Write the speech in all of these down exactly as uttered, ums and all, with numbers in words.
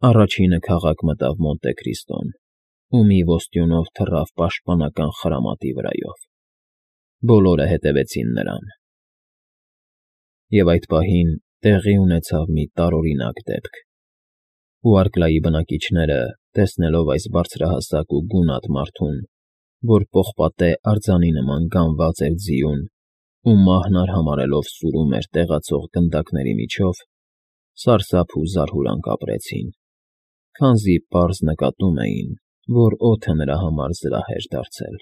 Առաջինը քաղաք մտավ Մոնտե Քրիստոն ու մի ոստյունով թռավ պաշտպանական խրամատի վրայով։ Բոլորը հետևեցին նրան։ Եվ այդ պահին տեղի ունեցավ մի տարօրինակ դեպք։ Ուարկլայի բնակիչները, տեսնելով այս բարձրահասակ ու գունատ մարդուն, որ պողպատե արձանի նման գանված էր ձիուն ու մահն արհամարհելով սուրում էր տեղացող գնդակների միջով, սարսափ ու զարհուրանք ապրեցին, քանզի պարզ նկատում էին, որ օդը նրա համար զրահ էր դարձել։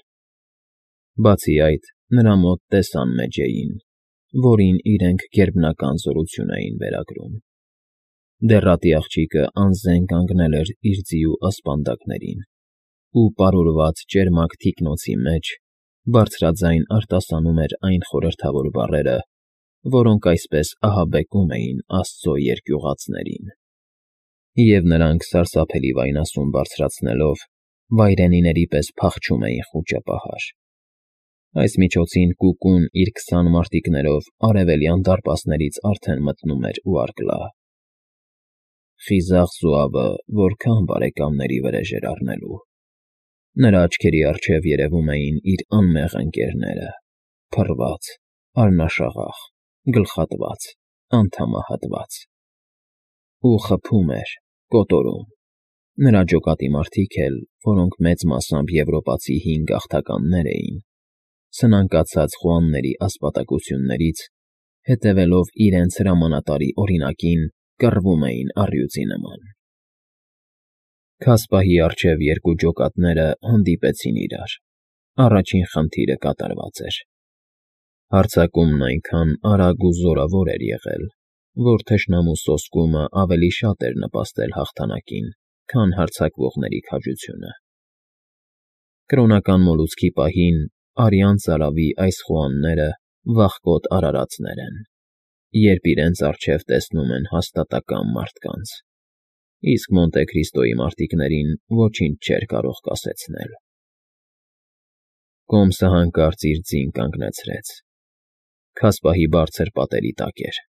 Բացի այդ, նրա մոտ տեսան մեջ էին, որին իրենք գերբնական զորություն էին վերագրում։ Դեռատի աղջիկը անզեն կանգնել էր իր ձիու ասպանդակներին ու պարուրված ճերմակ թիկնոցի մեջ բարձրաձայն արտասանում էր այն խորհրդավոր բառերը, որոնք այսպես ահաբեկում էին Աստծո երկյուղածներին։ Եվ նրանք, սարսափելի վայնասուն բարձրացնելով, վայրենիների պես փախչում էին խուճապահար։ Այս միջոցին Կուկուն իր քսան մարտիկներով արևելյան դարպասներից արդեն մտնում էր Ուարկլա։ Խիզախ զոավը որքա՜ն բարեկամների վրեժ էր առնելու։ Նրա աչքերի առջև երևում էին իր անմեղ ընկերները՝ փռված, արնաշաղախ, գլխատված, անդամահատված։ Ու խփում էր, կոտորում։ Նրա ջոկատի մարդիկ էլ, որոնք մեծ մասամբ եվրոպացի հին գաղթականներ էին, սնանկացած խոհանների ասպատակություններից, հետևելով իրենց հրամանատարի օրինակին, կռվում էին առյուծի նման։ Քասպահի առջև երկու ջոկատները հանդիպեցին իրար։ Առաջին խնդիրը կատարված էր։ Հարձակումն այնքան արագ ու զորավոր էր եղել, որ թշնամու սոսկումը ավելի շատ էր նպաստել հաղթանակին, քան հարձակվողների քաջությունը։ Կրոնական մոլուցքի պահին արյան ծարավի այս խոհանները վախկոտ արարածներ են, երբ իրենց առջև տեսնում են հաստատակամ մարդկանց, իսկ Մոնտե Քրիստոյի մարտիկներին ոչինչ չէր կարող կասեցնել։ Կոմսը հանկարծ իր ձին կանգնեցրեց։ Քասպահի բարձր պատերի տակ էր։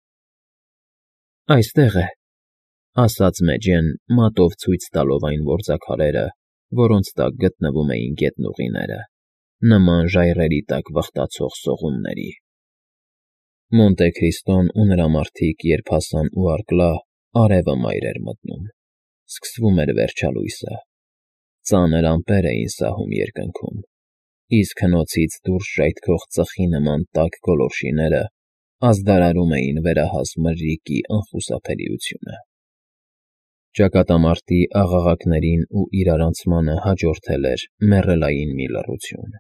«Այստեղ է», ֊ ասաց Մեջեն, մատով ցույց տալով այն որձաքարերը, որոնց տակ գտնվում էին գետնուղիները, նման ժայռերի տակ վխտացող սողունների։ Մոնտե Քրիստոն ու նրա մարդիկ, երբ հասան Ուարկլա, արևը մայր էր մտնում, սկսվում էր վերջալույսը։ Ծանր ամպեր էին սահում երկնքում, իսկ հնոցից դուրս ժայթքող ծխի նման տաք գոլորշիները ազդարարում էին վերահաս մրրիկի անխուսափելիությունը։ Ճակատամարտի աղաղակներին ու իրարանցմանը հաջորդել էր մեռելային մի լռություն։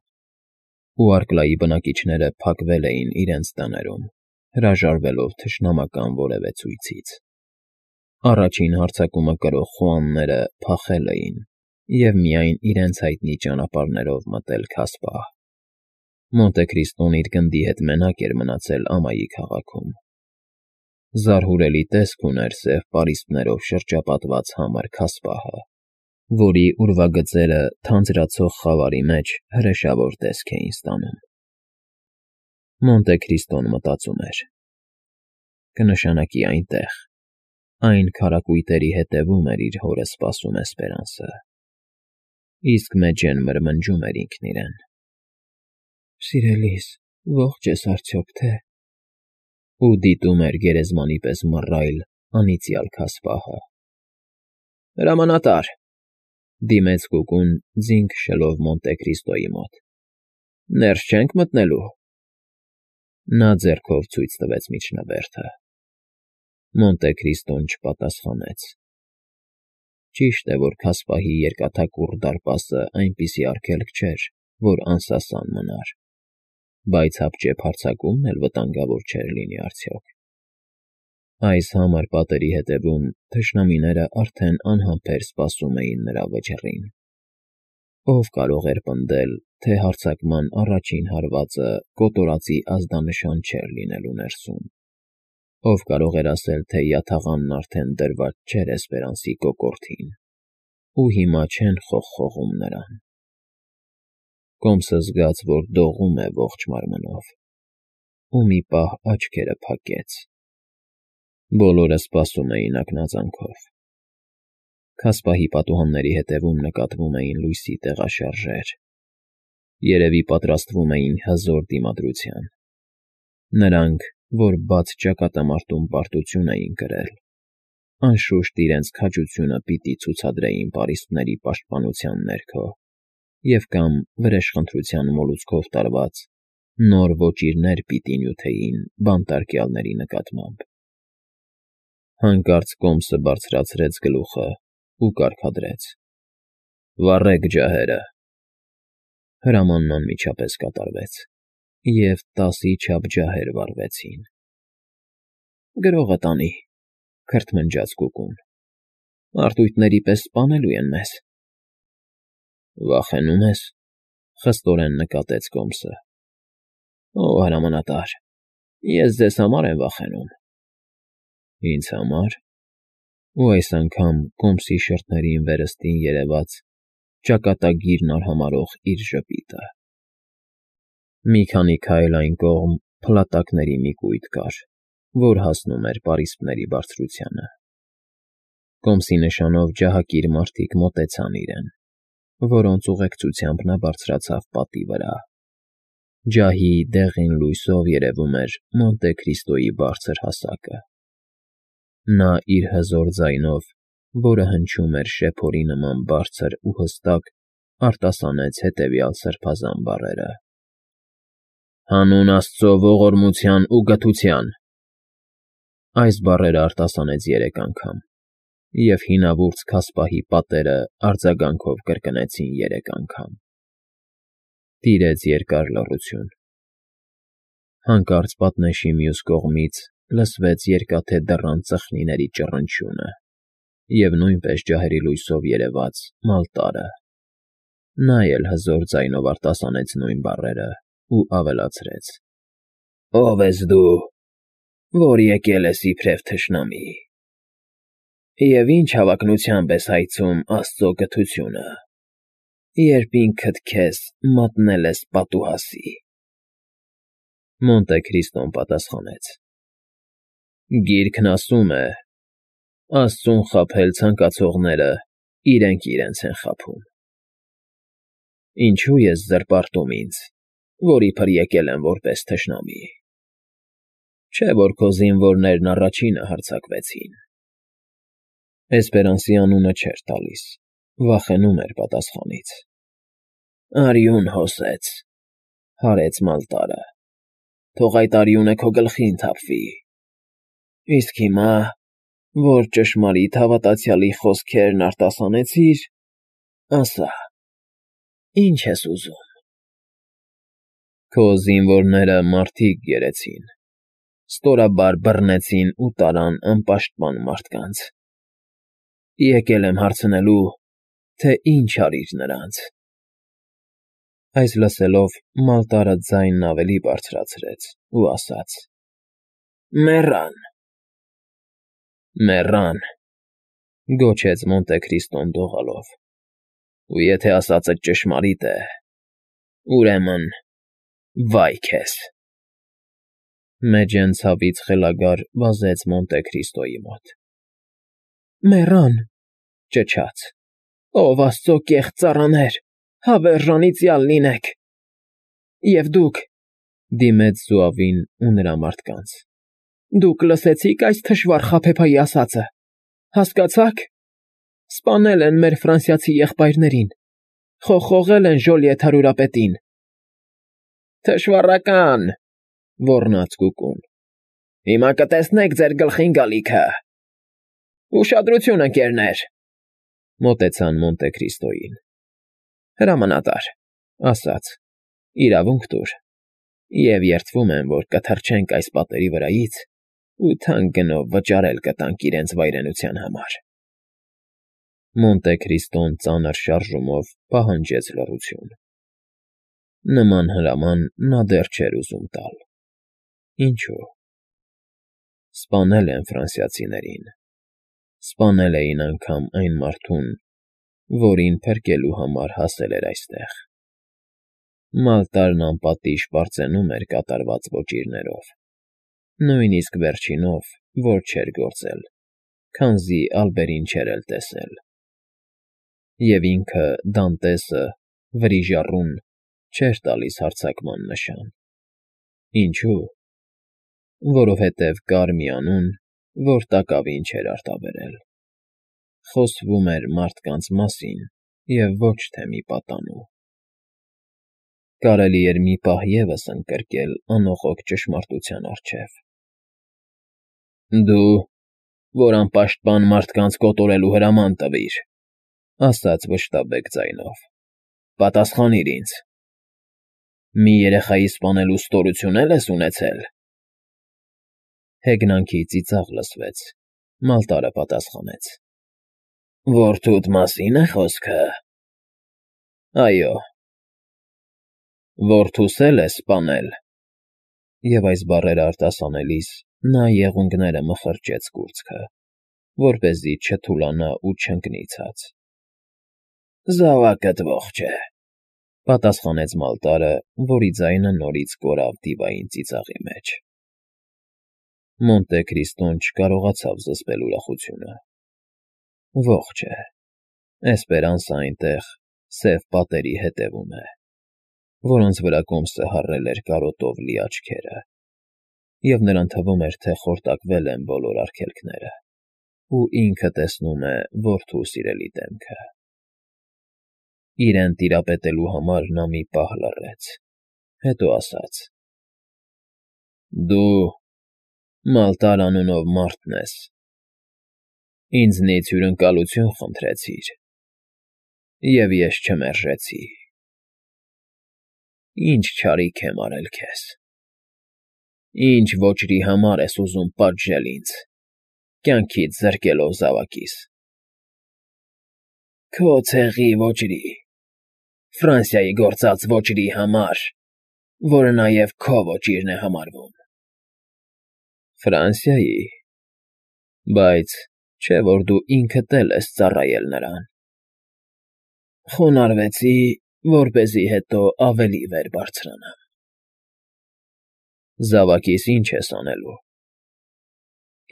Ուարկլայի բնակիչները փակվել էին իրենց տներում, հրաժարվելով թշնամական որևէ ցույցից։ Առաջին հարձակումը կրող խոհանները փախել էին և միայն իրենց հայտնի ճանապարհներով մտել Քասպահ։ Մոնտե Քրիստոն իր գնդի հետ մենակ էր մնացել ամայի քաղաքում։ Զարհուրելի տեսք ուներ սև պարիսպներով շրջապատված համր Քասպահը, որի ուրվագծերը թանձրացող խավարի մեջ հրեշավոր տեսք էին ստանում։ Մոնտե Քրիստոն մտածում էր. «Կնշանակի այնտեղ, այն քարակույտերի հետևում էր իր հորը սպասում Էսպերանսը»։ Իսկ Մեջեն մրմնջում էր ինքն իրեն. «Սիրելիս, ո՞ղջ ես արդյոք թե…» ու դիտում էր գերեզմանի պես մռայլ, անիծյալ Քասպահը։ «Հրամանատա՛ր,֊ դիմեց Կուկուն, ձին քշելով Մոնտե Քրիստոյի մոտ,֊ ներս չե՞նք մտնելու»։ Նա ձեռքով ցույց տվեց միջնաբերդը։ Մոնտե Քրիստոն չպատասխանեց։ Ճիշտ է, որ Քասպահի երկաթակուռ դարպասը այնպիսի արգելք չէր, որ անսասան մնար, բայց հապճեպ հարձակումն էլ վտանգավոր չէր լինի արդյոք։ Այս համր պատերի հետևում թշնամիները արդեն անհամբեր սպասում էին նրա վճռին։ Ո՞վ կարող էր պնդել, թե հարձակման առաջին հարվածը կոտորածի ազդանշան չէր լինելու ներսում։ Ո՞վ կարող էր ասել, թե յաթաղանն արդեն դրված չէր Էսպերանսի կոկորդին, ու հիմա չեն խողխողում նրան։ Կոմսը զգաց, որ դողում է ողջ մարմնով, ու մի պահ աչքերը փակեց։ Բոլորը սպասում էին ակնածանքով։ Քասպահի պատուհանների ետևում նկատվում էին լույսի տեղաշարժեր. երևի պատրաստվում էին հզոր դիմադրության. նրանք, որ բաց ճակատամարտում պարտություն էին կրել, անշուշտ իրենց քաջությունը պիտի ցուցադրեին պարիսպների պաշտպանության ներքո և կամ վրեժխնդրության մոլուցքով տարված նոր ոճիրներ պիտի նյութեին բանտարկյալների նկատմամբ։ Հանկարծ կոմսը բարձրացրեց գլուխը ու կարգադրեց. «Վառեք ջահերը»։ Հրամանն անմիջապես կատարվեց, և տասի չափ ջահեր վառվեցին։ «Գրողը տանի», քրթմնջաց Կուկուն, «մարտույտների պես սպանելու են մեզ»։ «Վախենու՞մ ես», խստորեն նկատեց կոմսը։ «Ո՛, հրամանատար, ես ձեզ համար եմ վախենում»։ «Ինձ համար»։ Ու այս անգամ կոմսի շրթերին վերստին երևաց ճակատագիրն արհամարհող իր ժպիտը։ Մի քանի քայլ այն կողմ փլատակների մի կույտ կար, որ հասնում էր պարիսպների բարձրությանը։ Կոմսի նշանով ջահակիր մարդիկ մոտեցան իրեն, որոնց ուղեկցությամբ նա բարձրացավ պատի վրա։ Ջահի դեղին լույսով երևում էր Մոնտե Քրիստոյի բարձր հասակը։ Նա իր հզոր ձայնով, որը հնչում էր շեփորի նման բարձր ու հստակ, արտասանեց հետևյալ սրբազան բառերը. «Հանուն Աստծո ողորմության ու գթության»։ Այս բառերը արտասանեց երեք անգամ, և հինավուրց քասպահի պատերը արձագանքով կրկնեցին երեք անգամ։ Տիրեց երկար լռություն։ Հանկարծ պատնեշի մյուս կողմից լսվեց երկաթե դռան ծխնիների ճռնչյունը և նույնպես ջահերի լույսով երևաց Մալտարը։ Նա էլ հզոր ձայնով արտասանեց նույն բառերը ու ավելացրեց. «Ո՞վ ես դու, որ եկել ես իբրև թշնամի, և ի՞նչ հավակնությամբ ես հայցում Աստծո գթությունը, երբ ինքդ քեզ մատնել ես պատուհասի»։ Մոնտե Քրիստոն պատասխանեց. «Գիրքն ասում է. «Աստծուն խաբել ցանկացողները իրենք իրենց են խաբում»։ Ինչո՞ւ ես զրպարտում ինձ, որ իբր եկել եմ որպես թշնամի։ Չէ՞ որ քո զինվորներն առաջինը հարձակվեցին»։ Էսպերանսի անունը չէր տալիս, վախենում էր պատասխանից։ «Արյուն հոսեց», հարեց Մալտարը, «թող այդ արյունը քո գլխին թափվի։ Իսկ հիմա, որ ճշմարիտ հավատացյալի խոսքերն արտասանեցիր, ասա, ի՞նչ ես ուզում»։ «Քո զինվորները մարդիկ գերեցին, ստորաբար բռնեցին ու տարան անպաշտպան մարդկանց։ Եկել եմ հարցնելու, թե ի՞նչ արիր նրանց»։ Այս լսելով Մալտարը ձայնն ավելի բարձրացրեց ու ասաց. «Մեռան»։ «Մեռան», գոչեց Մոնտե Քրիստոն դողալով, «ու եթե ասածդ ճշմարիտ է, ուրեմն վա՜յ քեզ»։ Մեջեն ցավից խելագար վազեց Մոնտե Քրիստոյի մոտ։ «Մեռան», ճչաց, «ով Աստծո կեղծ ծառաներ, հավերժ անիծյալ լինեք։ Եվ դուք», դիմեց զոավին ու նրա մարդկանց, «դուք լսեցի՞ք այս թշվառ խաբեբայի ասածը, հասկացա՞ք. սպանել են մեր ֆրանսիացի եղբայրներին, խոխողել են Ժոլիետ հարուրապետին»։ «Թշվառակա՛ն», ոռնաց Կուկուն, «հիմա կտեսնեք ձեր գլխին գալիքը»։ «Ուշադրություն, ընկերներ», մոտեցան Մոնտե Քրիստոյին։ «Հրամանատար», ասաց, «իրավունք տուր, և երդվում եմ, որ կթռչենք այս պատերի վրայից ու թանկ գնով վճարել կտանք իրենց վայրենության համար»։ Մոնտե Քրիստոն ծանր շարժումով պահանջեց լռություն։ Նման հրաման նա դեռ չէր ուզում տալ։ Ինչո՞ւ։ Սպանել են ֆրանսիացիներին, սպանել էին անգամ այն մարդուն, որին փրկելու համար հասել էր այստեղ։ Մալտարն անպատիժ պարծենում էր կատարված ոճիրներով, նույնիսկ վերջինով, որ չէր գործել, քանզի ալբերին չէր էլ տեսել։ Եվ ինքը, Դանտեսը, վրիժառուն, չէր տալիս հարձակման նշան։ Ինչո՞ւ։ Որովհետև կար մի անուն, որ տակավին չէր արտաբերել. խոսվում էր մարդկանց մասին և ոչ թե մի պատանու։ Կարելի էր մի պահ ևս ընկրկել անողոք ճշմարտության առջև։ «Դու, որ անպաշտպան մարդկանց կոտորելու հրաման տվիր,֊ ասաց վշտաբեկ ձայնով,֊ պատասխանիր ինձ. մի երեխայի սպանելու ստորություն է՞լ ես ունեցել»։ Հեգնանքի ծիծաղ լսվեց, Մալտարը պատասխանեց. «Որդուդ մասի՞ն է խոսքը»։ Այո։ Որդուս է՞լ ես սպանել։ Եվ այս բառերը արտասանելիս նա եղունգները մխրճեց կուրծքը, որպեսզի չթուլանա ու չընկնի ցած։ Զավակդ ողջ է,֊ պատասխանեց Մալտարը, որի ձայնը նորից կորավ դիվային ծիծաղի մեջ։ Մոնտե Քրիստոն չկարողացավ զսպել ուրախությունը։ Ողջ է, Էսպերանսը այնտեղ, սև պատերի հետևում է, որոնց վրա կոմսը հառել էր կարոտով լի աչքերը, և նրան թվում էր, թե խորտակվել են բոլոր արգելքները, ու ինքը տեսնում է որդու սիրելի դեմքը։ Իրեն տիրապետելու համար նա մի պահ լռեց, հետո ասաց. «Դու Մալտար անունով մարդն ես, ինձնից հյուրընկալություն խնդրեցիր, և ես չմերժեցի։ Ի՞նչ չարիք եմ արել քեզ։ Ի՞նչ ոճրի համար ես ուզում պատժել ինձ, կյանքից զրկելով զավակիս։ Քո ցեղի ոճրի, Ֆրանսիայի գործած ոճրի համար, որը նաև քո ոճիրն է համարվում։ Ֆրանսիայի… Բայց չէ՞ որ դու ինքդ էլ ես ծառայել նրան։ Խոնարհվեցի, որպեսզի հետո ավելի վեր բարձրանամ։ Զավակիս ի՞նչ ես անելու։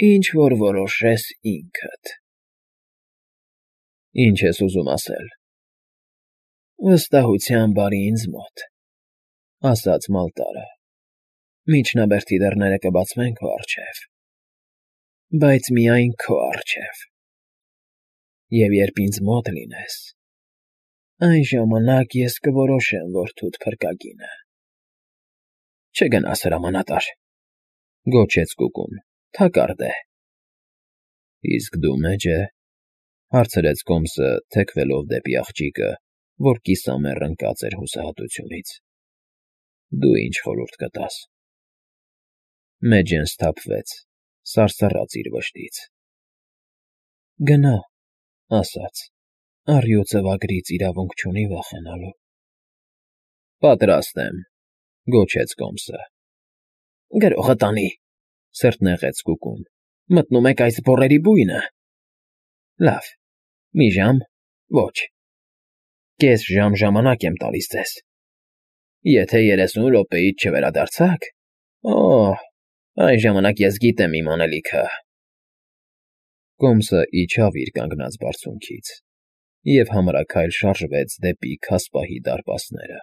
Ինչ որ որոշես ինքդ։ Ի՞նչ ես ուզում ասել։ Վստահությամբ արի ինձ մոտ,֊ ասաց Մալտարը, միջնաբերդի դռները կբացվեն քո առջև, բայց միայն քո առջև, և երբ ինձ մոտ լինես, այն ժամանակ ես կորոշեմ որդուդ փրկագինը։ Չգնաս հրամանատար,֊ գոչեց Կուկուն,֊ թակարդ է։ Իսկ դու մե՞ջ է,֊ հարցրեց կոմսը, թեքվելով դեպի աղջիկը, որ կիսամեռ ընկած էր հուսահատությունից։ Դու ինչ խորհուրդ կտաս։ Մեջն սթափվեց, սարսռաց իր վշտից։ Գնա,֊ ասաց,֊ առյուծը ծվագրից իրավունք չունի վախենալու։ Պատրաստ եմ,֊ գոչեց կոմսը։ Գրողը տանի,֊ սրտնեղեց Կուկուն,֊ մտնում եք այս բոռերի բույնը։ Լավ, մի ժամ, ոչ, կես ժամ ժամանակ եմ տալիս ձեզ։ Եթե երեսուն րոպեից չվերադարձաք, օ՜, այն ժամանակ ես գիտեմ իմ անելիքը։ Կոմսը իջավ իր կանգնած բարձունքից և համրաքայլ շարժվեց դեպի քասպահի դարպասները։